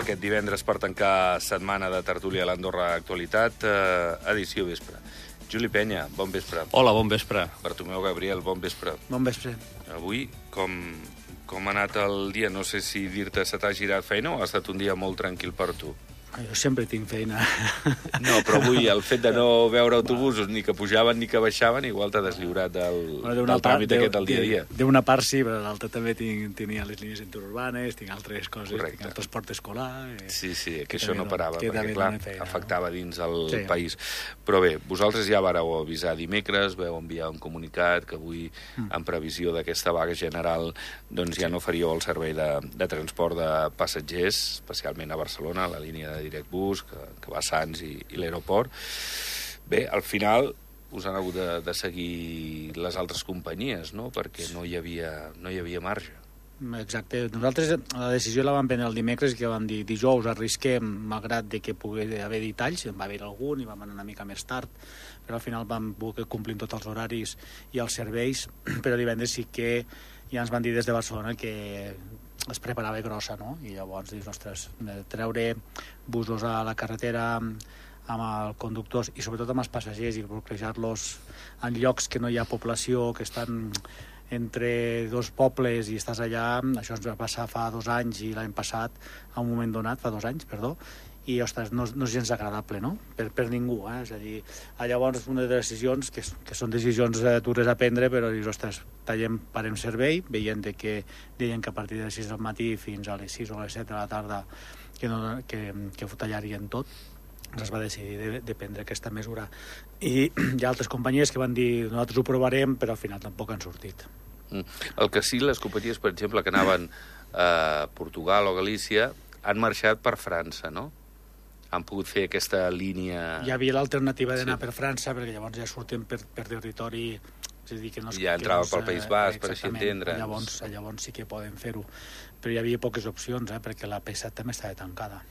aquest divendres per tancar setmana de tertúlia a l'Andorra Actualitat, edició vespre. Juli Penya, bon vespre. Hola, bon vespre. Bartomeu Gabriel, bon vespre. Bon vespre. Avui, com ha anat el dia? No sé si dir-te se t'ha girat feina o ha estat un dia molt tranquil per tu? Jo sempre tinc feina. No, però avui el fet de no veure autobusos ni que pujaven ni que baixaven igual t'ha deslliurat del tràmit aquest del dia a dia. D'una part sí, però l'altra també tenia les línies interurbanes, tinc altres coses, Correcte. tinc el transport escolar... Sí, que això no parava, perquè clar, afectava dins el Sí. país. Però bé, vosaltres ja vareu avisar dimecres, vau enviar un comunicat que avui, en previsió d'aquesta vaga general, doncs ja no faríeu el servei de transport de passatgers, especialment a Barcelona, la línia de Directbus, que va a Sants i l'aeroport. Bé, al final us han hagut de seguir les altres companyies, no?, perquè no hi havia marge. Exacte. Nosaltres la decisió la vam prendre el dimecres, que vam dir dijous arrisquem, malgrat de que pugui haver detalls, en va haver algun i vam anar una mica més tard, però al final vam voler complir tots els horaris i els serveis, però divendres sí que ja ens van dir des de Barcelona que es preparava grossa, no? I llavors dius, ostres, treure busos a la carretera amb els conductors i sobretot amb els passatgers i bloquejar-los en llocs que no hi ha població, que estan entre dos pobles i estàs allà, això ens va passar fa 2 anys i l'any passat, a un moment donat, fa 2 anys, perdó, i, ostres, no és gens agradable, no?, per ningú, És a dir, llavors una de les decisions, que són decisions dures a prendre, però dius, ostres, parem servei, veient que deien que a partir de les 6 del matí fins a les 6 o les 7 de la tarda que ho tallarien tot, es va decidir de prendre aquesta mesura. I hi ha altres companyies que van dir nosaltres ho provarem, però al final tampoc han sortit. El que sí, les companyies, per exemple, que anaven a Portugal o Galícia, han marxat per França, no? Han pogut fer aquesta línia... Hi havia l'alternativa d'anar per França, perquè llavors ja surten per territori... És a dir, que no és, ja entrava pel País Basc, per així entendre. Llavors sí que poden fer-ho. Però hi havia poques opcions, perquè la P7 també estava tancada,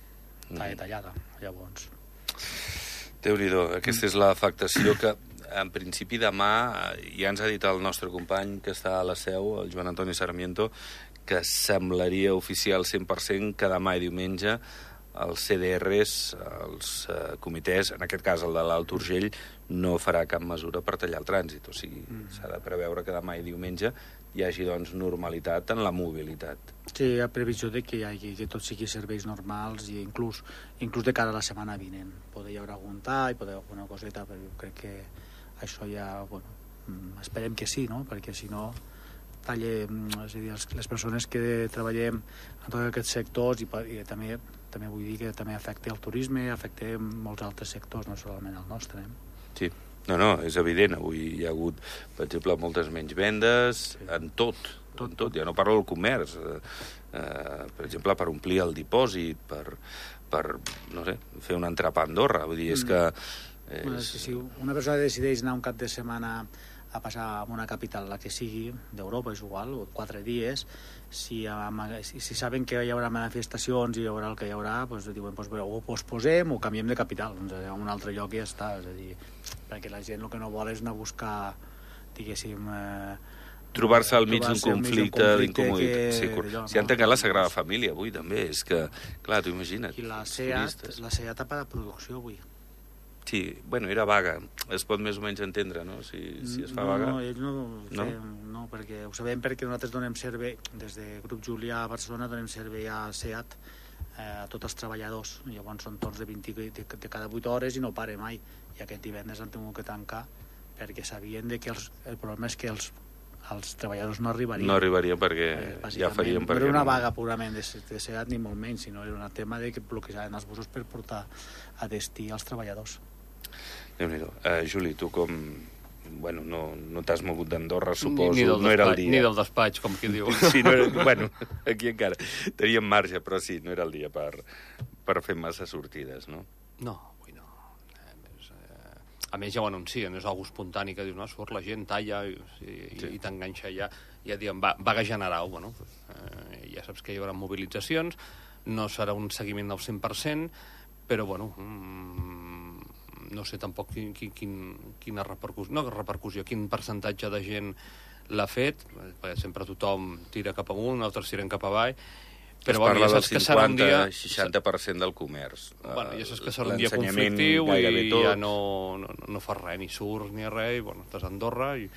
estava tallada, llavors... Déu-n'hi-do, aquesta és l'afectació que, en principi, demà, ja ens ha dit el nostre company que està a la seu, el Joan Antoni Sarmiento, que semblaria oficial 100% que demà i diumenge els CDRs, els comitès, en aquest cas el de l'Alt Urgell, no farà cap mesura per tallar el trànsit. O sigui, s'ha de preveure que demà i diumenge hi hagi, doncs, normalitat en la mobilitat. Sí, hi ha previsió de que tot sigui serveis normals i inclús de cara a la setmana vinent. Poder hi haurà algun tall, poder alguna coseta, però jo crec que això ja, esperem que sí, no?, perquè si no talle, és a dir, les persones que treballem en tots aquests sectors i també vull dir que també afecta el turisme, afecta molts altres sectors, no solament el nostre. Sí, no, és evident. Avui hi ha hagut, per exemple, moltes menys vendes, en tot. Ja no parlo del comerç. Per exemple, per omplir el dipòsit, per no sé, fer un entrepà a Andorra. Vull dir, és que... Si una persona decideix anar un cap de setmana a passar a una capital, la que sigui, d'Europa, és igual, o 4 dies, si saben que hi haurà manifestacions i hi haurà el que hi haurà, doncs diuen, o posposem o canviem de capital, a un altre lloc i ja està, és a dir, perquè la gent el que no vol és anar a buscar, diguéssim... trobar-se al mig d'un conflicte d'incomoditat. Si han tancat la Sagrada Família avui, també, és que, clar, t'ho imagina't. I la SEAT ha parat producció avui. Sí, era vaga. Es pot més o menys entendre, no?, si es fa vaga. No, ells no, perquè ho sabem perquè nosaltres donem servei, des de Grup Julià a Barcelona donem servei a SEAT a tots els treballadors. Llavors són torns de cada 8 hores i no pare mai. I aquest divendres han tingut que tancar perquè sabien que el problema és que els treballadors no arribarien. No arribarien perquè ja farien... No era una vaga purament de SEAT ni molt menys, sinó era un tema de que bloquejaven els busos per portar a destí els treballadors. Déu-n'hi-do. Juli, tu com... no t'has mogut d'Andorra, suposo. No era el dia. Ni del despatx, com qui diu. Sí, no era... aquí encara teníem marge, però sí, no era el dia per fer massa sortides, no? No, avui no. A més, ja ho anuncien, és algo espontani que diu, no, surt la gent, talla i t'enganxa ja. Ja diuen, vaga general, ja saps que hi haurà mobilitzacions, no serà un seguiment del 100%, però, no sé tampoc quina repercussió, quin percentatge de gent l'ha fet, perquè sempre tothom tira cap amunt, altres tiren cap avall, Es parla del 50-60% del comerç. Bueno, ja saps que serà un dia conflictiu i ja no fas res, ni surts ni res, i bueno, estàs a Andorra i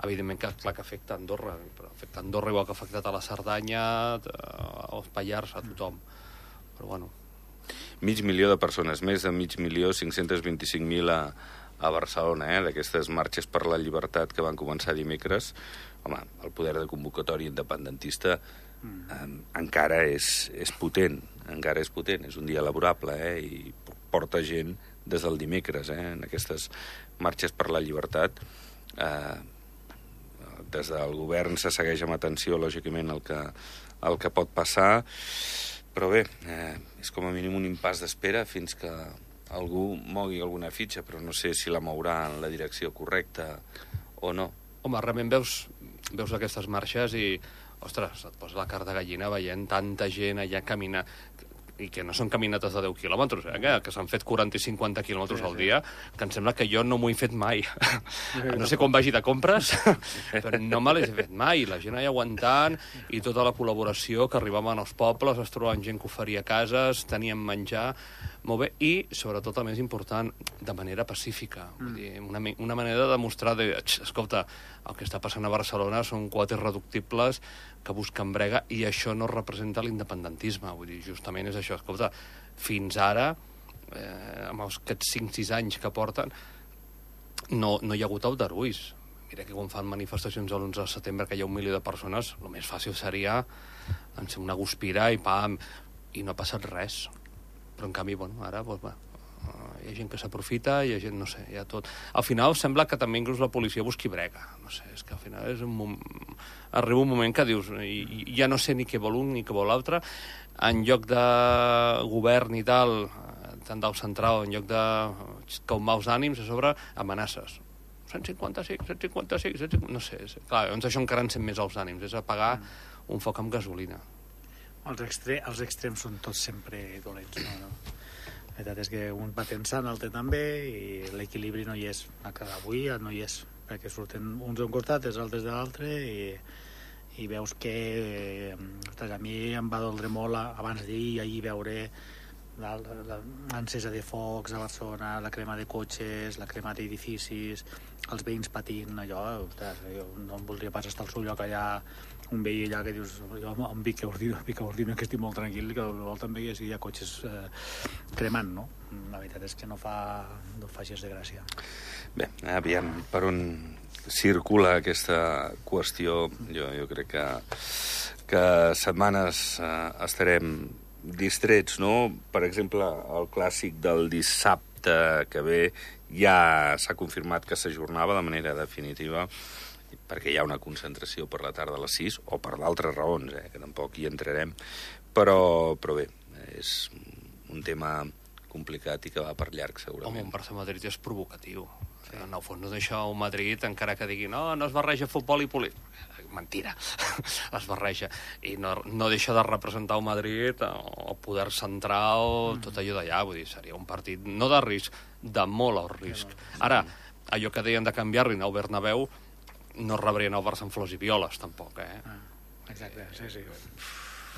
evidentment que clar que afecta Andorra, però afecta Andorra igual que ha afectat a la Cerdanya, als Pallars, a tothom. Però bueno. 500.000 de persones, més de 5.525.000 a Barcelona, d'aquestes marxes per la llibertat que van començar dimecres. Home, el poder de convocatòria independentista encara és potent, és un dia laborable, i porta gent des del dimecres, en aquestes marxes per la llibertat. Des del govern se segueix amb atenció, lògicament, el que pot passar, però bé, és com a mínim un impàs d'espera fins que algú mogui alguna fitxa, però no sé si la mourà en la direcció correcta o no. Home, realment veus aquestes marxes i, ostres, et posa la carn de gallina veient tanta gent allà caminar, i que no són caminates de 10 quilòmetres, que s'han fet 40 i 50 quilòmetres al dia, que em sembla que jo no m'ho he fet mai. No sé quan vagi de compres, però no me les he fet mai. La gent allà aguantant i tota la col·laboració, que arribaven als pobles, es trobaven gent que oferia cases, tenien menjar, molt bé, i, sobretot, el més important, de manera pacífica. Vull dir, una manera de demostrar, escolta, el que està passant a Barcelona són quotes reductibles que busquen brega i això no representa l'independentisme. Vull dir, justament és això. Escolta, fins ara, amb aquests 5-6 anys que porten, no hi ha hagut aldarulls. Mira que quan fan manifestacions l'11 de setembre que hi ha 1 milió de persones, el més fàcil seria encendre una guspira i pam, i no ha passat res. Però en canvi, bueno, ara, doncs, hi ha gent que s'aprofita, hi ha gent, no sé, hi ha tot. Al final sembla que també inclús la policia busqui brega. No sé, és que al final arriba un moment que dius, ja no sé ni què vol un ni què vol l'altre, en lloc de govern i tal, tant del central, en lloc de calmar els ànims, a sobre amenaces. 155, no sé, clar, llavors això encara encén més els ànims, és apagar un foc amb gasolina. Els extrems són tots sempre dolents, no? La veritat és que un va tensant, l'altre també, i l'equilibri no hi és. Avui no hi és, perquè surten uns d'un costat, els altres de l'altre, i veus que a mi em va doldre molt abans d'ahir veure l'encesa de focs a Barcelona, la crema de cotxes, la crema d'edificis, els veïns patint, allò, ostres, jo no em voldria pas estar al seu lloc allà, un veí allà que dius, jo em pica ordina, que estic molt tranquil, que vol també que hi ha cotxes cremant, no? La veritat és que no fa gens de gràcia. Bé, aviam, per on circula aquesta qüestió, jo crec que setmanes estarem distrets, no? Per exemple, el clàssic del dissabte que ve ja s'ha confirmat que s'ajornava de manera definitiva perquè hi ha una concentració per la tarda a les 6 o per d'altres raons, que tampoc hi entrarem, però bé, és un tema complicat i que va per llarg, segurament. Home, un Barça-Madrid és provocatiu. Sí. En el fons no deixa el Madrid, encara que digui no es barreja futbol i política. Mentira, es barreja. I no deixa de representar el Madrid, el poder central, tot allò d'allà. Vull dir, seria un partit, no de risc, de molt alt risc. Ara, allò que deien de canviar-li al Bernabéu, no rebrien el Barça amb flors i violes, tampoc, Exacte, sí.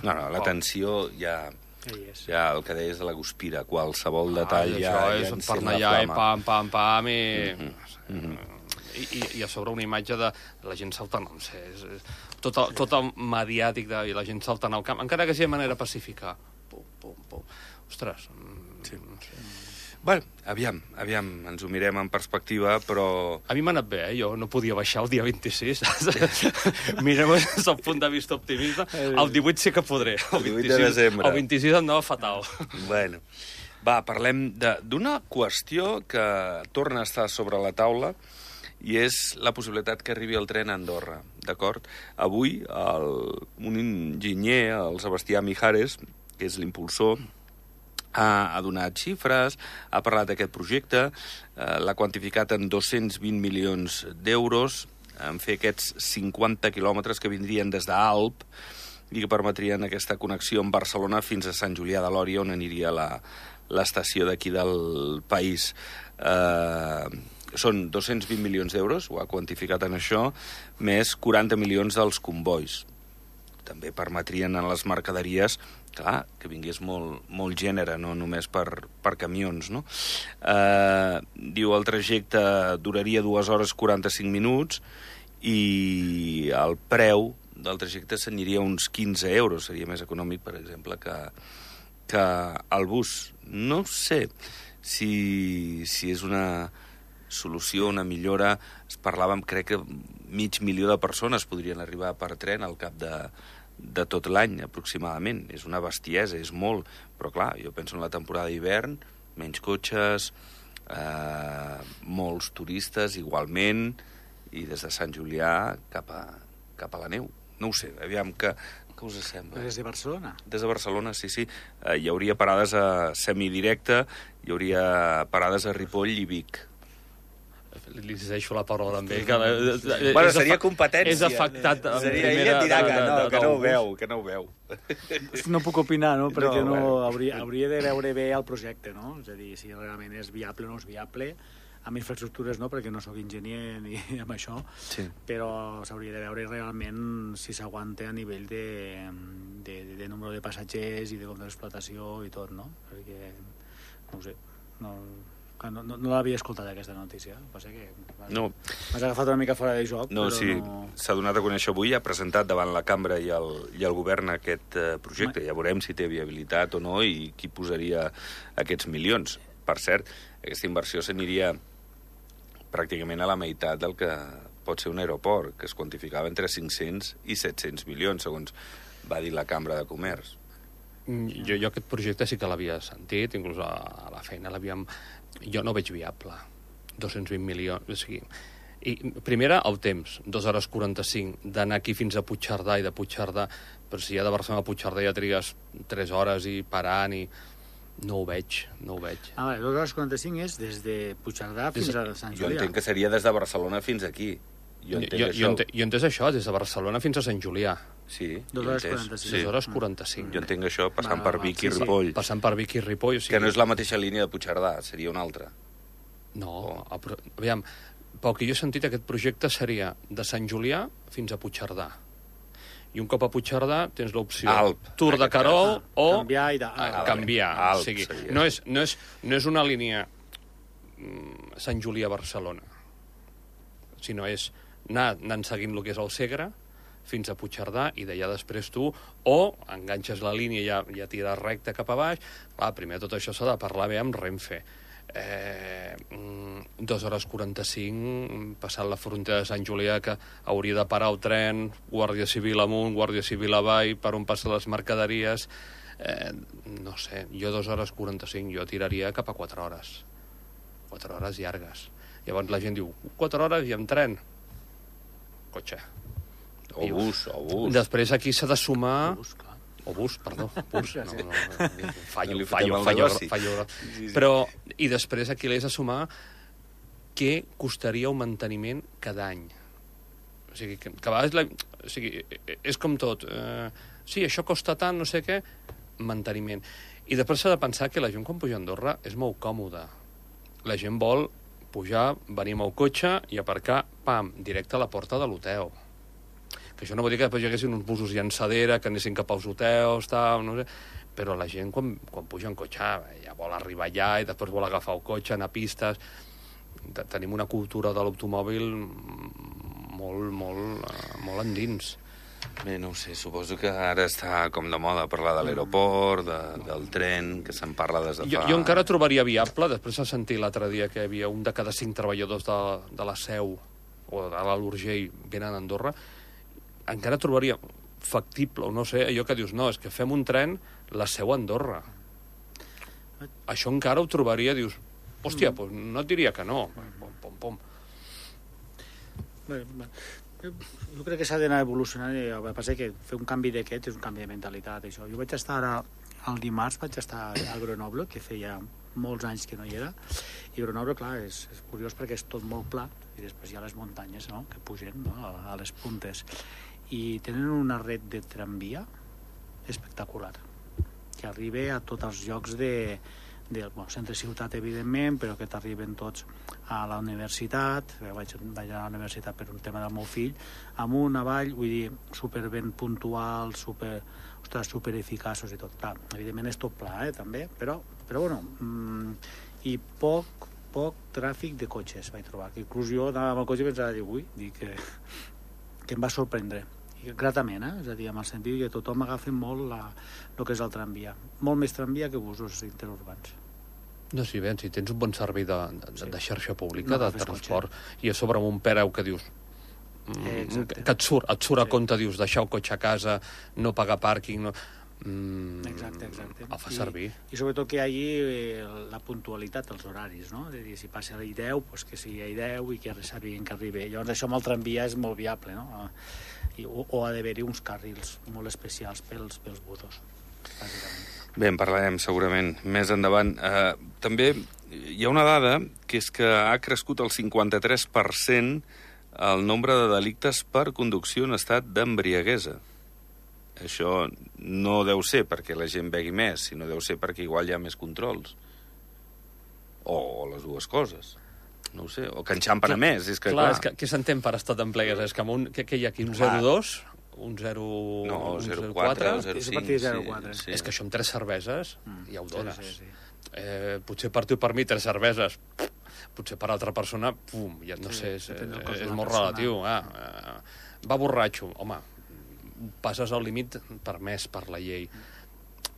No, la tensió ja el que deies de la guspira, qualsevol detall ja encén la flama. Pam, i a sobre una imatge de la gent saltant, no sé, tot el mediàtic i la gent saltant al camp, encara que sigui de manera pacífica. Pum. Ostres. Sí. Bueno, aviam, ens ho mirem en perspectiva, però... A mi m'ha anat bé, jo no podia baixar el dia 26. Mirem des del punt de vista optimista. El 18 sí que podré. El 18 de desembre. El 26 anava fatal. Bueno, parlem d'una qüestió que torna a estar sobre la taula i és la possibilitat que arribi el tren a Andorra, d'acord? Avui, un enginyer, el Sebastià Mijares, que és l'impulsor, ha donat xifres, ha parlat d'aquest projecte, l'ha quantificat en 220 milions d'euros, en fer aquests 50 quilòmetres que vindrien des d'Alp i que permetrien aquesta connexió amb Barcelona fins a Sant Julià de Lòria, on aniria l'estació d'aquí del país. Són 220 milions d'euros, ho ha quantificat en això, més 40 milions dels convois. també permetrien a les mercaderies, clar, que vingués molt gènere, no només per camions, no? Diu, el trajecte duraria 2 hores 45 minuts i el preu del trajecte s'aniria uns 15 euros, seria més econòmic, per exemple, que el bus. No sé si és una solució, una millora. Es parlava, crec que 500.000 de persones podrien arribar per tren al cap de tot l'any, aproximadament. És una bestiesa, és molt. Però, clar, jo penso en la temporada d'hivern, menys cotxes, molts turistes, igualment, i des de Sant Julià cap a la neu. No ho sé, aviam, què us sembla? Des de Barcelona? Des de Barcelona, sí. Hi hauria parades a semidirecte, hi hauria parades a Ripoll i Vic. Li deixo la paraula amb ell. Bueno, seria competència. És afectat en primera... Ell et dirà que no ho veu. No puc opinar, no? Perquè hauria de veure bé el projecte, no? És a dir, si realment és viable o no és viable, amb infraestructures no, perquè no sóc enginyer ni amb això, sí. Però s'hauria de veure realment si s'aguanta a nivell de número de passatgers i de compte d'explotació i tot, no? Perquè, no ho sé, no l'havia escoltat aquesta notícia. Passa que m'has agafat una mica fora de joc. No, sí, s'ha donat a conèixer avui, ha presentat davant la cambra i el govern aquest projecte. Ja veurem si té viabilitat o no i qui posaria aquests milions. Per cert, aquesta inversió s'aniria pràcticament a la meitat del que pot ser un aeroport, que es quantificava entre 500 i 700 milions, segons va dir la Cambra de Comerç. Jo aquest projecte sí que l'havia sentit, inclús a la feina l'havíem... Jo no veig viable, 220 milions... O sigui, i primera, el temps, 2 hores 45, d'anar aquí fins a Puigcerdà i de Puigcerdà, però si ja de Barcelona a Puigcerdà ja trigues 3 hores i parant i... No ho veig. 2 hores 45 és des de Puigcerdà fins a Sant Julià. Jo entenc que seria des de Barcelona fins aquí. Jo entenc això, des de Barcelona fins a Sant Julià. Sí, 2 hores 45. Sí. 2 hores 45. Jo entenc això passant per Vic i Ripoll. Passant per Vic i Ripoll. O sigui... Que no és la mateixa línia de Puigcerdà, seria una altra. No, aviam, pel que jo he sentit, aquest projecte seria de Sant Julià fins a Puigcerdà. I un cop a Puigcerdà tens l'opció Tour de Carol o canviar. O sigui, no és una línia Sant Julià-Barcelona, sinó és anant seguint el que és el Segre fins a Puigcerdà i d'allà després tu o enganxes la línia i ja tires recte cap a baix. Clar, primer tot això s'ha de parlar bé amb Renfe. 2 hores 45 passant la frontera de Sant Julià, que hauria de parar el tren, Guàrdia Civil amunt, Guàrdia Civil avall, per on passen les mercaderies. No sé, jo 2 hores 45 jo tiraria cap a 4 hores. 4 hores llargues. Llavors la gent diu, 4 hores i amb tren? Cotxe. O bus. Després aquí s'ha de sumar... Bus, perdó. Fallo. Però, i després aquí l'has de sumar què costaria un manteniment cada any. O sigui, que a vegades... O sigui, és com tot. Sí, això costa tant, no sé què, manteniment. I després s'ha de pensar que la gent quan puja a Andorra és molt còmoda. La gent vol pujar, venir amb el cotxe i aparcar, pam, directe a la porta de l'hotel. Que això no vol dir que després hi haguessin uns busos llançadera, que anessin cap als hotels, tal, no sé. Però la gent, quan puja en cotxe, ja vol arribar allà i després vol agafar el cotxe, anar a pistes. Tenim una cultura de l'automòbil molt endins. Bé, no ho sé, suposo que ara està com de moda parlar de l'aeroport, del tren, que se'n parla des de fa... Jo encara trobaria viable, després de sentir l'altre dia que hi havia un de cada 5 treballadors de la Seu o de l'Alt Urgell venen a Andorra, encara trobaria factible, o no sé, allò que dius, no, és que fem un tren, la Seu a Andorra. Això encara ho trobaria, dius, hòstia, doncs no et diria que no. Pom. Jo crec que s'ha d'anar evolucionant, el que passa que fer un canvi d'aquest és un canvi de mentalitat, això. Jo vaig estar el dimarts, vaig estar a Grenoble, que feia molts anys que no hi era, i Grenoble, clar, és curiós perquè és tot molt pla, i després hi ha les muntanyes, no?, que pugen, no?, a les puntes. I tenen una red de tramvia espectacular, que arriba a tots els llocs centre ciutat, evidentment, però que t'arriben tots a la universitat. Vaig anar a la universitat per un tema del meu fill, amunt, avall, vull dir, super ben puntual, super eficaços i tot. Clar, evidentment és tot pla, també, però bueno, i poc tràfic de cotxes vaig trobar, que inclús jo anava amb el cotxe i pensava, que em va sorprendre, i gratament, és a dir, amb el sentit que tothom agafa molt el que és el tramvia, molt més tramvia que busos interurbans. No, si bé, si tens un bon servei de xarxa pública, de transport, i a sobre amb un preu que dius que et surt a compte, dius, deixar el cotxe a casa, no pagar pàrquing, no... Exacte. El fa servir. I sobretot que hi hagi la puntualitat, els horaris, no? És a dir, si passa a 10, doncs que sigui a 10 i que sàpiguen que arribi. Llavors això amb el tramvia és molt viable, no? O ha d'haver-hi uns carrils molt especials pels busos, bàsicament. Bé, en parlarem segurament més endavant. També hi ha una dada que és que ha crescut el 53% el nombre de delictes per conducció en estat d'embriaguesa. Això no deu ser perquè la gent begui més, sinó deu ser perquè igual hi ha més controls. O les dues coses. No ho sé. O que enxampen a més. És que, clar, és que què s'entén per estat d'embriaguesa? És que amb un... Què hi ha aquí? Un 0,2? Un 0... No, 0,4 o 0,5. Sí. És que això amb 3 cerveses ja ho dones. Sí. Potser per tu i per mi 3 cerveses, potser per altra persona, pum, ja no sé, és molt relatiu. Va borratxo, home, passes el límit permès per la llei.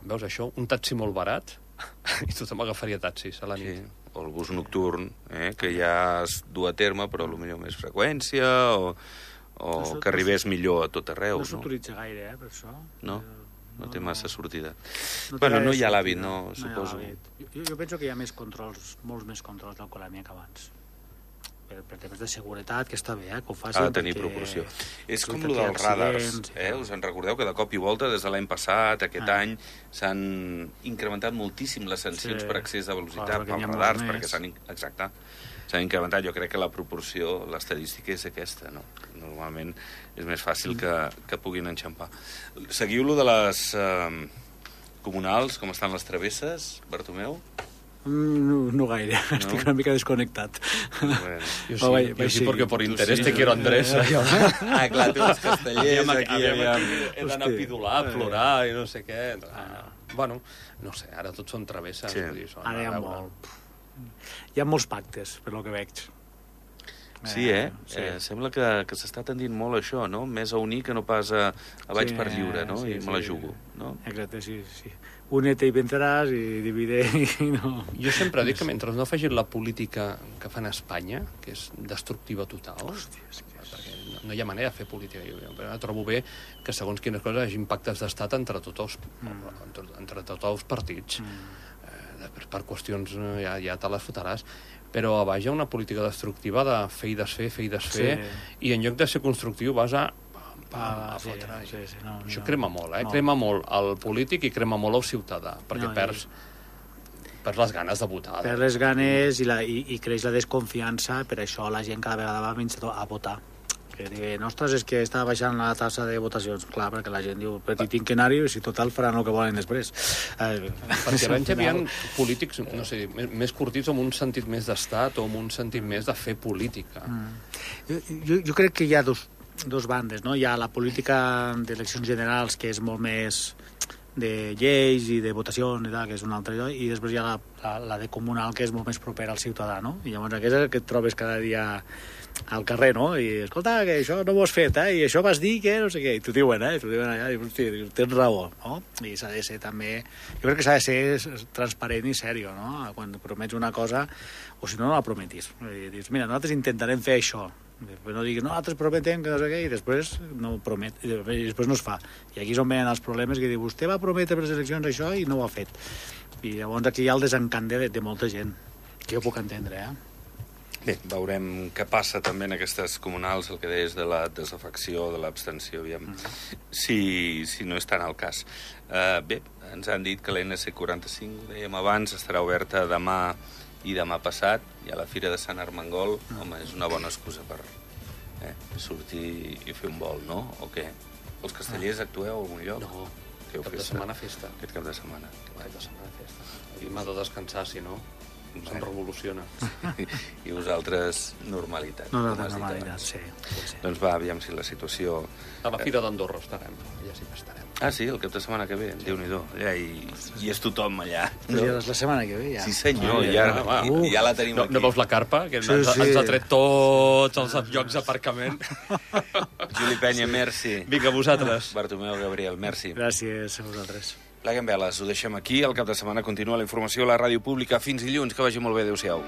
Veus això? Un taxi molt barat i tothom agafaria taxis a la nit. Sí. O el bus nocturn, que ja es du a terme, però potser més freqüència, o que arribés millor a tot arreu. No s'utilitza gaire, per això. No té massa sortida. Bueno, no hi ha l'hàbit, no, suposo. Jo penso que hi ha més controls, molts més controls d'alcoholèmia que abans. Per temes de seguretat, que està bé, que ho facin. Ha de tenir proporció. És com el dels radars. Us en recordeu que de cop i volta, des de l'any passat, aquest any, s'han incrementat moltíssim les sancions per excés de velocitat pels radars, perquè s'han incrementat. Jo crec que la proporció, l'estadística és aquesta, no? Normalment és més fàcil que puguin enxampar. Seguiu-lo de les comunals, com estan les travesses, Bartomeu? No gaire, estic una mica desconnectat. Jo sí, perquè per interès te quiero Andrés. Clar, tu els castellers aquí. He d'anar a pidolar, a plorar i no sé què. Bueno, no sé, ara tots són travesses. Ara hi ha molt. Hi ha molts pactes, per lo que veig. Sí, sembla que s'està tendint molt això, no? Més a unir que no pas a vaig per lliure, no? I me la jugo, no? Exacte, sí. Únete i venceràs i divide i no... Jo sempre dic que mentre no facin la política que fan a Espanya, que és destructiva total, perquè no hi ha manera de fer política. Jo trobo bé que segons quines coses hi hagi impactes d'estat entre tots els partits. Per qüestions ja te les fotràs. Però a baix hi ha una política destructiva de fer i desfer, i en lloc de ser constructiu vas a fotre. Això crema molt, crema molt el polític i crema molt el ciutadà, perquè perds les ganes de votar. Perds les ganes i creix la desconfiança, per això la gent cada vegada va menys a votar. Que diuen, ostres, és que està baixant la tassa de votacions. Clar, perquè la gent diu, però tinc que anar-hi, si total faran el que volen després. Perquè abans hi havia polítics, no sé, més curtits amb un sentit més d'estat o amb un sentit més de fer política. Jo crec que hi ha dos bandes, no? Hi ha la política d'eleccions generals, que és molt més de lleis i de votacions i tal, que és un altre lloc, i després hi ha la de comunal, que és molt més propera al ciutadà, no? I llavors aquest és el que et trobes cada dia al carrer, no? I, escolta, que això no ho has fet, i això vas dir que no sé què, i t'ho diuen allà, i hosti, tens raó, no? I s'ha de ser també... Jo crec que s'ha de ser transparent i sèrio, no? Quan promets una cosa, o si no la prometis. I dius, mira, nosaltres intentarem fer això, però no diguis, no, nosaltres prometem que no sé què, i després no promet, i després no es fa. I aquí és on venen els problemes, que diu, vostè va prometre per les eleccions això i no ho ha fet. I llavors aquí hi ha el desencant de molta gent, que jo puc entendre, Bé, veurem què passa també en aquestes comunals, el que deies de la desafecció, de l'abstenció, aviam, si no és tant el cas. Bé, ens han dit que l'NC 45, dèiem abans, estarà oberta demà i demà passat, i a la Fira de Sant Armengol, home, és una bona excusa per sortir i fer un vol, no? O què? Els castellers actueu a algun lloc? No, cap de setmana festa. Aquest cap de setmana. Cap de setmana festa. I m'ha de descansar, si no, se'm revoluciona. I vosaltres, normalitat. Normalitat, sí. Doncs va, aviam si la situació... A la Fira d'Andorra estarem, allà sí que estarem. Ah, sí, el cap de setmana que ve, Déu-n'hi-do. Allà hi és tothom, allà. Ja és la setmana que ve, ja. Sí, senyor, ja la tenim aquí. No veus la carpa? Que Sí. ens ha tret tots els llocs d'aparcament. Juli Penya, merci. Vinga, vosaltres. Bartomeu Gabriel, merci. Gràcies a vosaltres. Pleguem veles, ho deixem aquí. El cap de setmana continua la informació a la ràdio pública. Fins dilluns, que vagi molt bé. Adéu-siau.